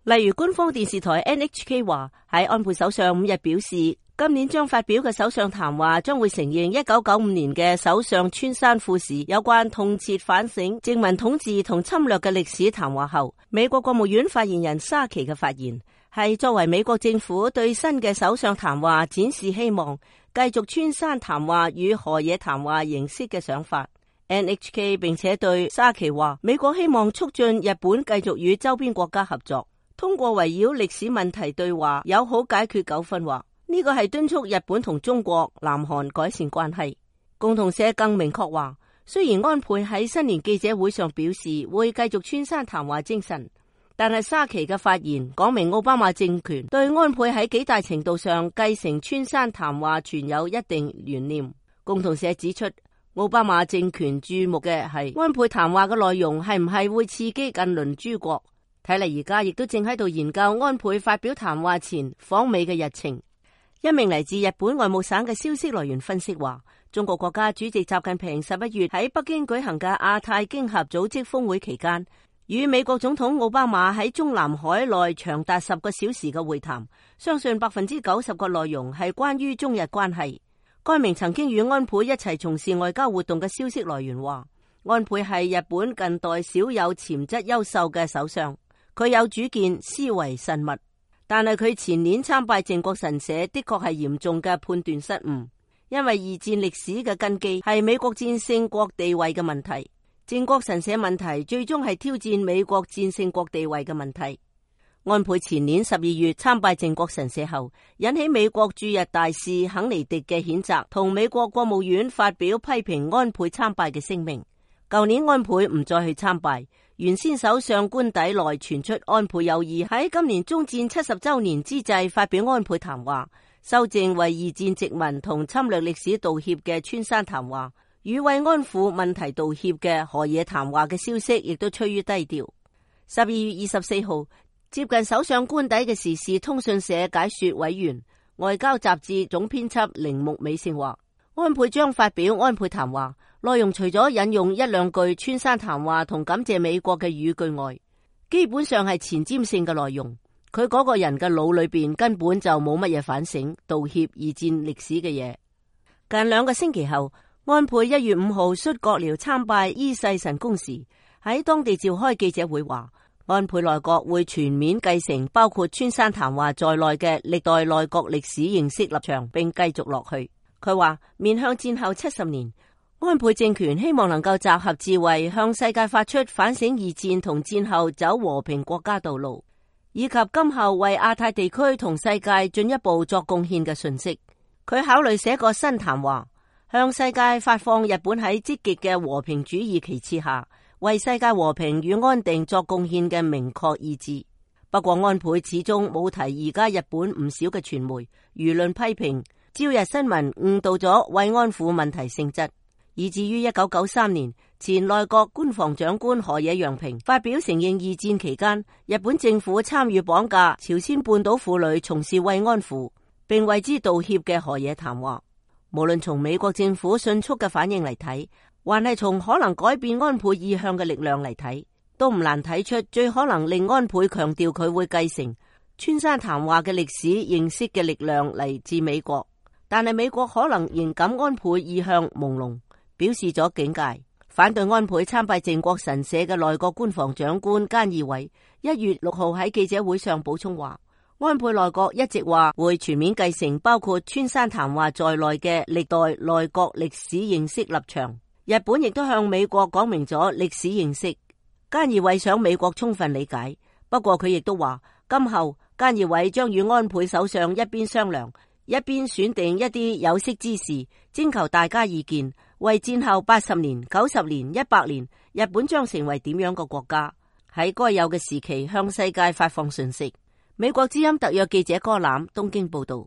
例如官方電視台 NHK 話，喺安倍首相5日表示，今年將發表嘅首相談話將會承認1995年嘅首相村山富市有關痛切反省殖民統治同侵略嘅歷史談話後，美國國務院發言人沙奇嘅發言係作為美國政府對新嘅首相談話展示希望，繼續村山談話與河野談話形式嘅想法。NHK 並且對沙奇話，美國希望促進日本繼續與周邊國家合作，通過圍繞歷史問題對話友好解決糾紛。話呢個係敦促日本同中國、南韓改善關係。共同社更明確話，雖然安倍喺新年記者會上表示會繼續村山談話精神，但係沙奇嘅發言講明奧巴馬政權對安倍喺幾大程度上繼承村山談話存有一定懸念。共同社指出，奧巴馬政權注目嘅係安倍談話嘅內容係唔係會刺激近鄰諸國。睇嚟而家亦都正喺度研究安倍發表談話前訪美嘅日程。一名嚟自日本外務省嘅消息來源分析話，中國國家主席習近平11月喺北京舉行嘅亞太經合組織峰會期間，與美國總統奧巴馬喺中南海內長達10個小時嘅會談，相信90%嘅內容係關於中日關係。該名曾經與安倍一齊從事外交活動嘅消息來源話，安倍係日本近代少有潛質優秀嘅首相，佢有主見，思維慎密，但係佢前年參拜靖國神社的確係嚴重嘅判斷失誤，因為二戰歷史嘅根基係美國戰勝國地位嘅問題，靖國神社問題最終係挑戰美國戰勝國地位嘅問題。安倍前年12月參拜靖國神社後，引起美國駐日大使肯尼迪嘅譴責，同美國國務院發表批評安倍參拜嘅聲明。舊年安倍唔再去參拜，原先首相官邸內傳出安倍有意喺今年終戰70周年之際發表安倍談話，修正為二戰殖民同侵略歷史道歉嘅村山談話，與慰安婦問題道歉嘅河野談話嘅消息亦都趨於低調。12月24號，接近首相官邸嘅時事通訊社解說委員、外交雜誌總編輯鈴木美勝話，安倍將發表安倍談話，內容除咗引用一兩句村山談話同感謝美國嘅語句外，基本上係前瞻性嘅內容。佢嗰個人嘅腦裏邊根本就冇乜嘢反省、道歉二戰歷史嘅嘢。近2個星期後，安倍1月5號率閣僚參拜伊勢神宮時，喺當地召開記者會話，安倍內閣會全面繼承包括村山談話在內嘅歷代內閣歷史認識立場，並繼續落去。佢話面向戰後70年，安倍政權希望能夠集合智慧，向世界發出反省二戰同戰後走和平國家道路，以及今後為亞太地區同世界進一步作貢獻嘅訊息。佢考慮寫個新談話，向世界發放日本喺積極嘅和平主義旗幟下為世界和平與安定作貢獻嘅明確意志。不過安倍始終冇提而家日本唔少嘅傳媒輿論批評朝日新聞誤導咗慰安婦問題性質，以至於1993年前內閣官房長官河野洋平發表承認二戰期間日本政府參與綁架朝鮮半島婦女從事慰安婦，並為之道歉嘅河野談話。無論從美國政府迅速嘅反應嚟睇，還係從可能改變安倍意向嘅力量嚟睇，都唔難睇出最可能令安倍強調佢會繼承村山談話嘅歷史認識嘅力量嚟自美國。但係美國可能仍感安倍意向朦朧，表示咗警戒。反對安倍參拜靖國神社嘅內閣官房長官菅義偉1月6號喺記者會上補充話，安倍內閣一直話會全面繼承包括村山談話在內嘅歷代內閣歷史認識立場。日本亦都向美國講明咗歷史認識。菅義偉想美國充分理解，不過佢亦都話今後菅義偉將與安倍首相一邊商量，一邊選定一啲有識之士，徵求大家意見，為戰後80年、90年、100年，日本將成為點樣嘅國家，喺該有嘅時期向世界發放訊息。美國之音特約記者柯攬東京報道。